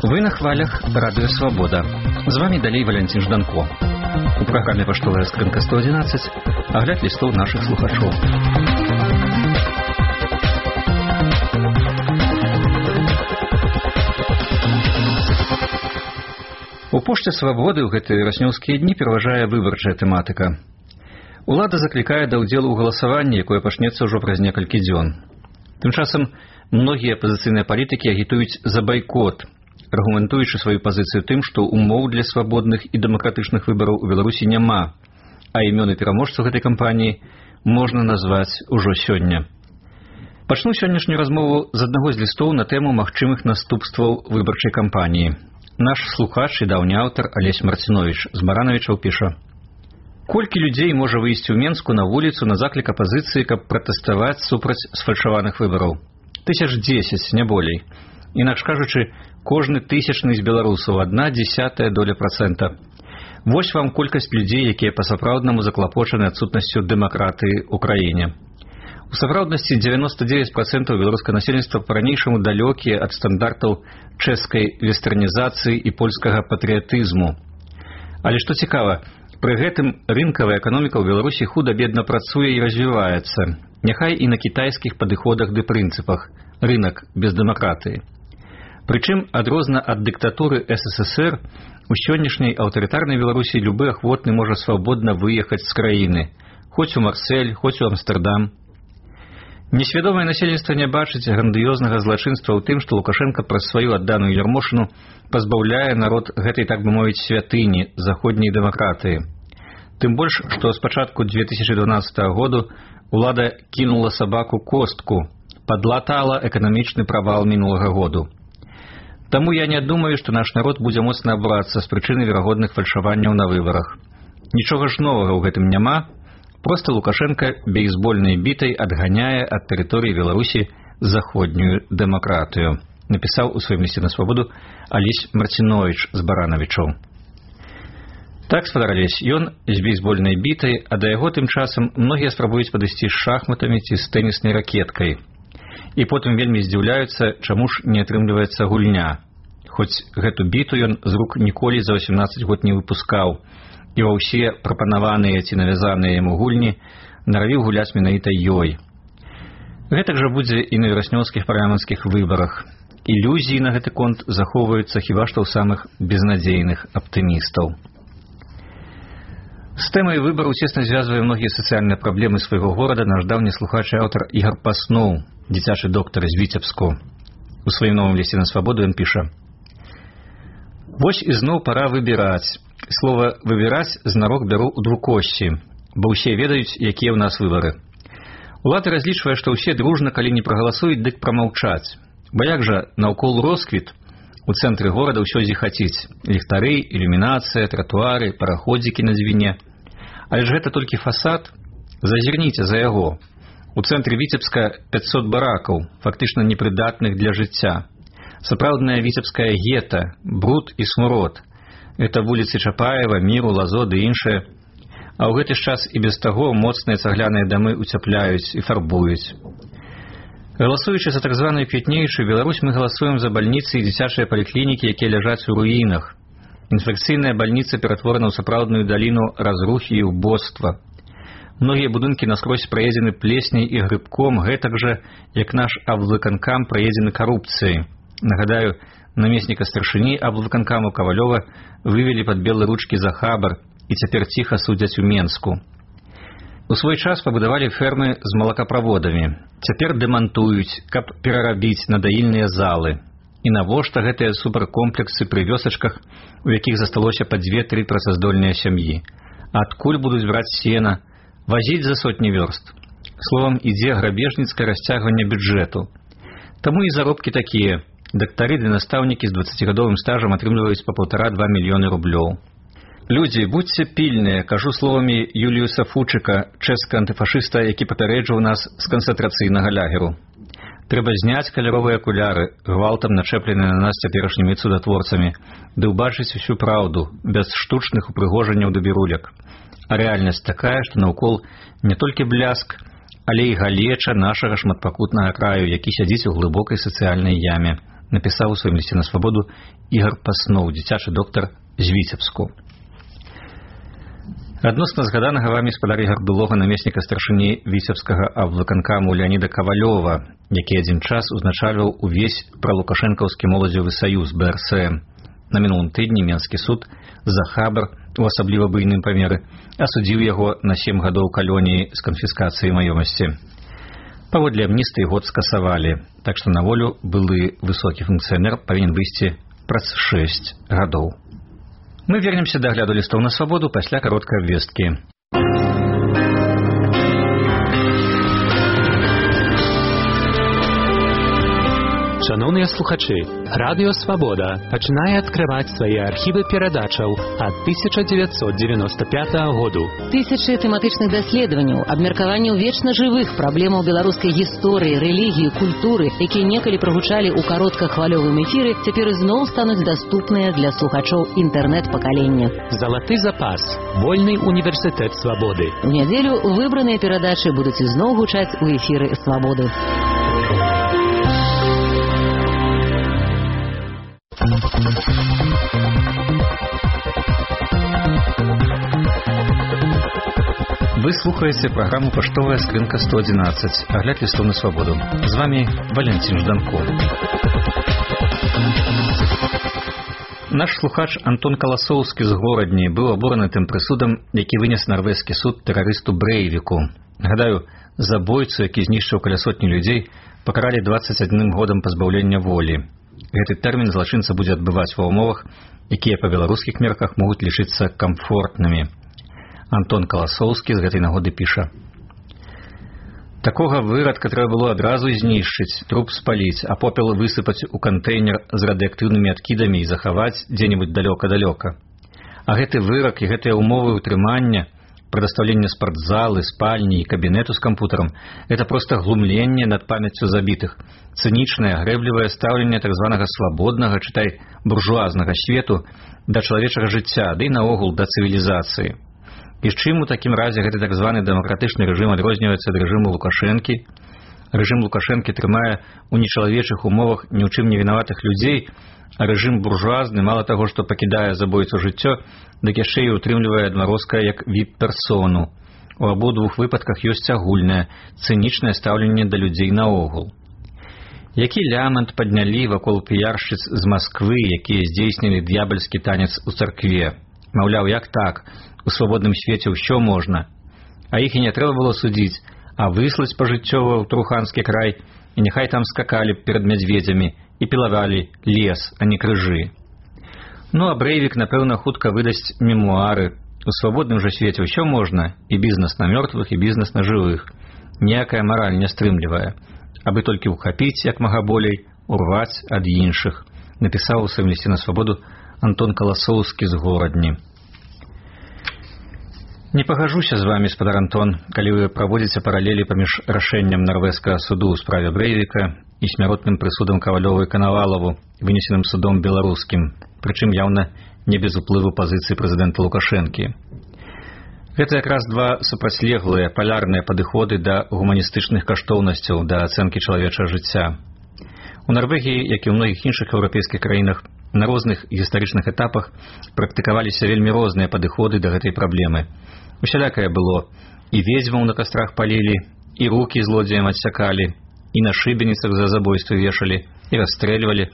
Вы на хвалях Радио Свобода. З вами далей Валентин Жданко. У программе «Поштовая скрынка 111» огляд листов наших слухачоў. У Пошце Свабоды ў гэтыя раснёўскія дні пераважае выбарчая тэматыка. Улада заклікае да ўдзелу ў галасаванні, якое пачнецца ўжо праз некалькі дзён. Тым часам многія апазіцыйныя палітыкі агітуюць за байкот, аргументуючы сваю пазіцыю тым, што умоў для свабодных і дэмакратычных выбараў у Беларусі няма, а імёны пераможцаў гэтай кампаніі можна назваць ужо сёння. Пачну сённяшнюю размову з аднаго з лістоў на тэму магчымых наступстваў выбарчай кампаніі. Наш слухач і даўні аўтар Алесь Марцинович з Баранавічаў піша: «Колькі людзей можа выйсці ў Менску на вуліцу на заклік апазіцыі, каб пратэставаць супраць сфальшаваных выбараў? 1010, не болей. Інакш кажучы, кожны тысячны з беларусаў 0,1%. Вось вам колькасць людзей, якія па-сапраўднаму заклапочаны адсутнасцю дэмакратыі ў краіне. У сапраўднасці 99% беларускага насельніцтва па-ранейшаму далёкія ад стандартаў чэшскай вестэрнізацыі і польскага патрыятызму. Але што цікава, пры гэтым рынкавая эканоміка ў Беларусі худа-бедна працуе і развіваецца, няхай і на кітайскіх падыходах ды прынцыпах, рынак без дэмакратыі. Прычым, адрозна ад дыктатуры СССР, у сённяшняй аўтарытарнай Беларусі любы ахвотны можа свабодна выехаць з краіны, хоць у Марсель, хоць у Амстэрдам. Несвядомае насельніцтва не бачыць грандыёзнага злачынства ў тым, што Лукашенка праз сваю адданую ярмошыну пазбаўляе народ гэтай, так бы мовіць, святыні заходняй дэмакратыі. Тым больш, што з пачатку 2012 году улада кінула сабаку костку, падлатала эканамічны правал мінулага году. Таму я не думаю, што наш народ будзе моцна абурацца з прычыны верагодных фальшаванняў на выбарах. Нічога ж новага ў гэтым няма, проста Лукашенка бейсбольнай бітай адганяе ад тэрыторыі Беларусі заходнюю дэмакратыю, напісаў у сваім лісце на Свабоду Алесь Марцинович з Баранавічаў. Так, спадар Алесь, ён з бейсбольнай бітай, а да яго тым часам многія спрабуюць падысці з шахматамі ці з тэніснай ракеткай. І потым вельмі здзіўляюцца, чаму ж не атрымліваецца гульня. Хоць гэту біту ён з рук ніколі за 18 год не выпускаў, і ва ўсе прапанаваныя ці навязаныя яму гульні наравіў гуляць менавіта ёй. Гэтак жа будзе і на вераснёўскіх парламенцкіх выбарах. Ілюзіі на гэты конт захоўваюцца хіба што ў самых безнадзейных аптымістаў. З тэмай выбараў цесна звязвае многія сацыяльныя праблемы свайго горада наш даўні слухач і аўтар Ігар Пасноў, дзіцячы доктар з Віцебску. У сваім новым лісце на Свабоду ён піша: «Вось ізноў пара выбіраць. Слова «выбіраць» знарок бяру ў двукосці, бо ўсе ведаюць, якія ў нас выбары. Улада разлічвае, што ўсе дружна, калі не прагаласуюць, дык прамаўчаць. Бо як жа наўкол росквіт, у цэнтры горада ўсё зіхаціць. Ліхтары, ілюмінацыя, тратуары, параходзікі на дзвіне. Але ж гэта толькі фасад. Зазірніце за яго. У цэнтры Віцебска 500 баракаў, фактычна непрыдатных для жыцця. Сапраўдная віцебская гета, бруд і смурод. Это вуліцы Чапаева, Міру, Лазо ды іншыя. А ў гэты ж час і без таго моцныя цагляныя дамы уцяпляюць і фарбуюць. Галасуючы за так званую квітнеючую Беларусь, мы галасуем за бальніцы і дзіцячыя паліклінікі, якія ляжаць у руінах. Інфекцыйная бальніца ператворана ў сапраўдную даліну разрухі і ўбоства. Многія будынкі наскрозь праедзены плесняй і грыбком, гэтак жа, як наш аблвыканкам праедзены карупцыяй. Нагадаю, намесніка старшыні аблвыканкаму Кавалёва вывелі пад белыя ручкі за хабар і цяпер ціха судзяць у Менску. У свой час пабудавалі фермы з малакаправодамі. Цяпер дэмантуюць, каб перарабіць на даільныя залы. І навошта гэтыя суперкомплексы пры вёсачках, у якіх засталося па 2-3 працаздольныя сям'і? Адкуль будуць браць сена? Вазіць за сотні вёрст. Словам, ідзе грабежніцкае расцягванне бюджэту. Таму і заробкі такія. Дактары ды настаўнікі з 20гадовым стажам атрымліваюць па 1,5–2 мільёны рублёў. Людзі, будьце пільныя, кажу словамі Юліуса Фучыка, чэшскага антыфашыста, які папярэджваў нас з канцэнтрацыйнага лагеру. Трэба зняць каляровыя акуляры, гвалтам начэпленыя на нас цяперашнімі цудатворцамі, ды ўбачыць усю праўду, без штучных упрыгожанняў ды біруляк. А рэальнасць такая, што наўкол не толькі бляск, але і галеча нашага шматпакутнага краю, які сядзіць у глыбокай сацыяльнай яме, напісаў у сваім лісце на свабоду Ігар Пасноў, дзіцячы доктар з Віцебску. Адносна згаданага вамі спадар Ігар былога намесніка старшыні віцебскага абвыканкаму Леаніда Кавалёва, які адзін час узначальваў увесь пралукашэнкаўскі моладзевы саюз БРСМ. На мінулым тыдні Менскі суд за хабар у асабліва буйным памеры асудзіў яго на 7 гадоў калоніі з канфіскацыяй маёмасці. Паводле амністыі год скасавалі, так што на волю былы высокі функцыянер павінен выйсці праз 6 гадоў. Мы вернемся да агляду лістоў на свабоду пасля кароткай абвесткі. Шановныя слухачы, Радыё Свабода пачынае адкрываць свае архівы перадачаў ад 1995 году. Тысячы тэматычных даследаванняў, абмеркаванняў вечна жывых праблемаў беларускай гісторыі, рэлігіі, культуры, якія некалі прагучалі ў кароткахвалёвым эфіры, цяпер ізноў стануць даступныя для слухачоў інтэрнэт-пакалення. Залаты запас. Вольны універсітэт свабоды. У нядзелю выбраныя перадачы будуць ізноў гучаць у эфіры Свабоды. Вы слухаеце праграму «Паштовая скрынка 111», агляд лістоў на свабоду. З вами Валентин Жданко. Наш слухач Антон Каласоўскі з Горадні быў абураны тым прысудам, які вынес нарвежскі суд тэрарысту Брэйвіку. Гадаю, забойцу, які знішчыў каля сотні людзей, пакаралі 21 годам пазбаўлення волі. Гэты тэрмін злачынца будзе адбываць ва ўмовах, якія па беларускіх мерках могуць лічыцца камфортнымі. Антон Каласоўскі з гэтай нагоды піша: «Такога вырадка трэба было адразу знішчыць, труп спаліць, а попел высыпаць у кантэйнер з радыактыўнымі адкідамі і захаваць дзе-небудзь далёка-далёка. А гэты вырак і гэтыя ўмовы ўтрымання, прадастаўленне спартзалы, спальні і кабінету з кампутарам – это проста глумленне над памяццю забітых, цынічнае, грэблівае стаўленне так званага свабоднага, чытай, буржуазнага свету да чалавечага жыцця, ды і наогул да цывілізацыі. І з чым у такім разе гэты так званы дэмакратычны рэжым адрозніваецца ад рэжыму Лукашэнкі? Рэжым Лукашэнкі трымае ў нечалавечых умовах ні ў чым не вінаватых людзей, а рэжым буржуазны мала таго, што пакідае забойцу жыццё, дык яшчэ і утрымлівае адмарозка як віп-персону. У абодвух выпадках ёсць агульнае, цынічнае стаўленне да людзей наогул. Які лямант паднялі вакол піяршчыц з Масквы, якія здзейснілі д'ябальскі танец у царкве. Маўляў, як так? У свабодным свеце ўсё можна. А іх і не трэба было судзіць, а выслаць пажыццёва ў Труханскі край, і няхай там скакалі перад мядзведзямі і пілавалі лес, а не крыжы. Ну, а Брэйвік, напэўна, хутка выдасць мемуары. У свабодным жа свеце ўсё можна, і бізнес на мёртвых, і бізнес на жывых. Ніякая мараль не стрымлівае. Абы толькі ўхапіць, як мага болей, урваць ад іншых, напісаў у сваім лісце на свабоду Антон Каласоўскі з Горадні. Не пагажуся з вами, спадар Антон, калі вы праводзіце паралелі паміж рашэннем нарвежскага суду ў справе Брэйвіка і смяротным прысудам Кавалёву і Канавалаву, вынесеным судом беларускім, прычым яўна не без уплыву пазіцыі прэзідэнта Лукашэнкі. Гэта якраз два супрацьлеглыя палярныя падыходы да гуманістычных каштоўнасцяў, да ацэнкі чалавечага жыцця. У Нарвегіі, як і ў многіх іншых еўрапейскіх краінах, на розных гістарычных этапах практыкаваліся вельмі розныя падыходы да гэтай праблемы. Усялякае было. І ведзьмаў на кастрах палілі, і рукі злодзеям адсякалі, і на шыбеніцах за забойствы вешалі, і расстрэльвалі.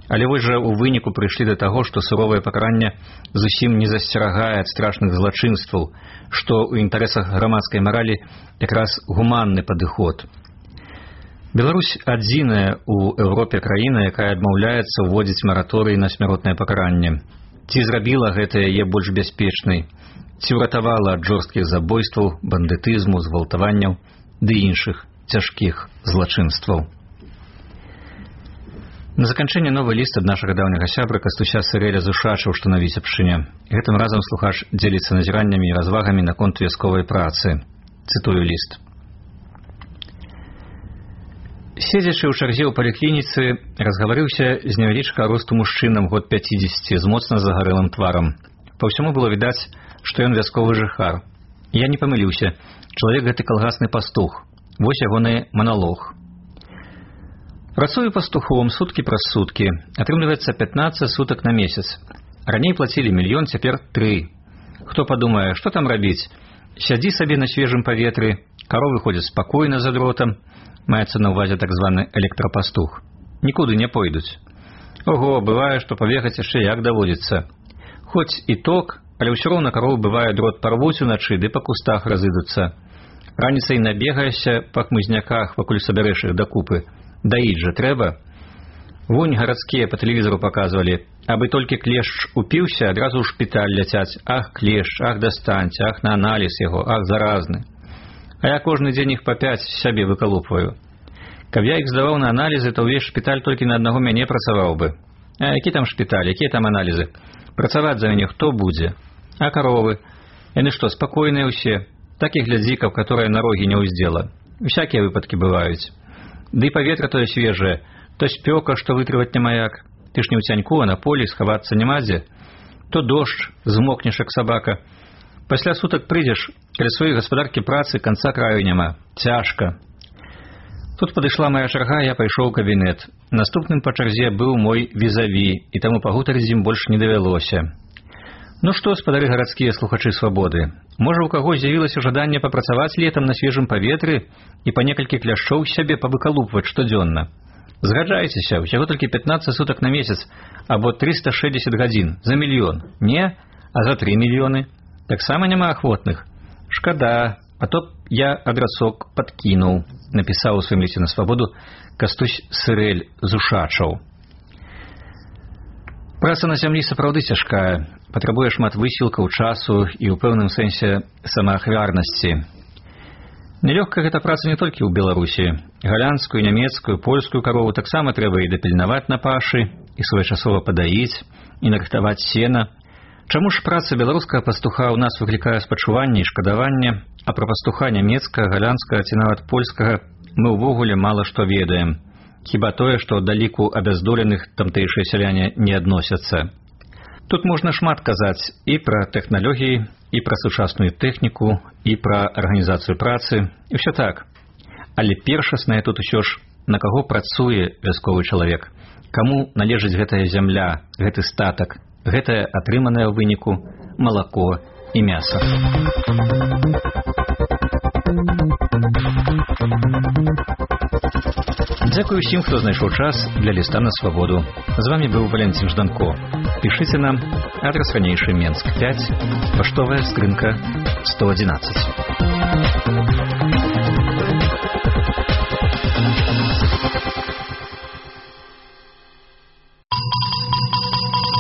Але вось жа ў выніку прыйшлі да таго, што суровае пакаранне зусім не засцерагае ад страшных злачынстваў, што ў інтарэсах грамадскай маралі якраз гуманны падыход. Беларусь адзіная ў Еўропе краіна, якая адмаўляецца ўводзіць мараторый на смяротнае пакаранне. Ці зрабіла гэта яе больш бяспечнай? Ці ўратавала ад жорсткіх забойстваў, бандытызму, згвалтаванняў ды іншых цяжкіх злачынстваў? На заканчэнне новы ліст ад нашага даўняга сябра Кастуся Сырэля з Ушачаў, што на Віцебшчыне. Гэтым разам слухач дзеліцца назіраннямі і развагамі наконт вясковай працы. Цытую ліст. Седзячы ў чарзе ў паліклініцы, разгаварыўся з невялічка росту мужчынам год 50 з моцна загарэлым тварам. Па ўсяму было відаць, што ён вясковы жыхар. Я не памыліўся. Чалавек гэты калгасны пастух. Вось ягоны маналог. Працую пастухом суткі праз суткі. Атрымліваецца 15 сутак на месяц. Раней плацілі 1 000 000, цяпер 3. Хто падумае, што там рабіць? Сядзі сабе на свежым паветры, каровы ходзяць спакойна за дротам, маецца на ўвазе так званы электрапастух. Нікуды не пойдуць. Ого, бывае, што пабегаць яшчэ як даводзіцца. Хоць і ток, але ўсё роўна каровы бывае дрот парвуць уначы, ды па кустах разыдуцца. Раніцай набегаешся па хмызняках, пакуль сабярэш іх дакупы. Даіць жа трэба. Вунь гарадскія па тэлевізору паказвалі. Абы толькі клешч упіўся, адразу ў шпіталь ляцяць. Ах, клешч, ах, дастаньце, ах, на аналіз яго, ах, заразны. А я кожны дзень іх па 5 сябе выкалупваю. Каб я іх здаваў на аналізы, то ўвесь шпіталь толькі на аднаго мяне працаваў бы. А які там шпіталь, якія там аналізы? Працаваць за мяне хто будзе? А каровы? Яны што, спакойныя ўсе? Такіх глядзікаў, которая на рогі не ўздзела. Усякія выпадкі бываюць. Ды паветра тое свежае, то спёка, што вытрываць няма як. Ты ж не ў цяньку, а на полі, схавацца няма дзе. То дождж, змокнеш як сабака. Пасля сутак прыйдзеш, каля сваёй гаспадаркі працы канца краю няма. Цяжка. Тут падышла моя чарга, я пайшоў у кабінет. Наступным па чарзе быў мой візаві, і таму пагутарыць з ім больш не давялося. Ну што, спадары гарадскія слухачы свабоды, можа, у каго з'явілася жаданне папрацаваць летам на свежым паветры і па некалькі кляшчоў сябе павыкалупваць штодзённа? Згаджайцеся, усяго толькі 15 сутак на месяц, або 360 гадзін, за 1 000 000. Не, а за 3 мільёны. Таксама няма ахвотных. Шкада, а то я адрасок падкінуў, напісаў у сваім лісце на свабоду Кастусь Сырэль з Ушачаў. Праца на зямлі сапраўды цяжкая, патрабуе шмат высілкаў, часу і ў пэўным сэнсе самаахвярнасці. Нелёгка гэта праца не толькі ў Беларусі. Галандскую, нямецкую, польскую карову таксама трэба і дапільнаваць на пашы, і своечасова падаіць, і нарыхтаваць сена. Чаму ж праца беларускага пастуха ў нас выклікае спачуванне і шкадаванне, а пра пастуха нямецкага, галандскага ці нават польскага мы ўвогуле мала што ведаем. Хіба тое, што да ліку абяздоленых тамтэйшыя сяляне не адносяцца. Тут можна шмат казаць і пра тэхналогіі, і пра сучасную тэхніку, і пра арганізацыю працы, і ўсё так. Але першаснае тут усё ж, на каго працуе вясковы чалавек, каму належыць гэтая зямля, гэты статак, гэтае атрыманае ў выніку малако і мяса. Дзякую ўсім, хто знайшоў час для ліста на свабоду. З вамі быў Валентин Жданко. Пішыце нам, адрас ранейшы Менск 5, паштовая скрынка 111.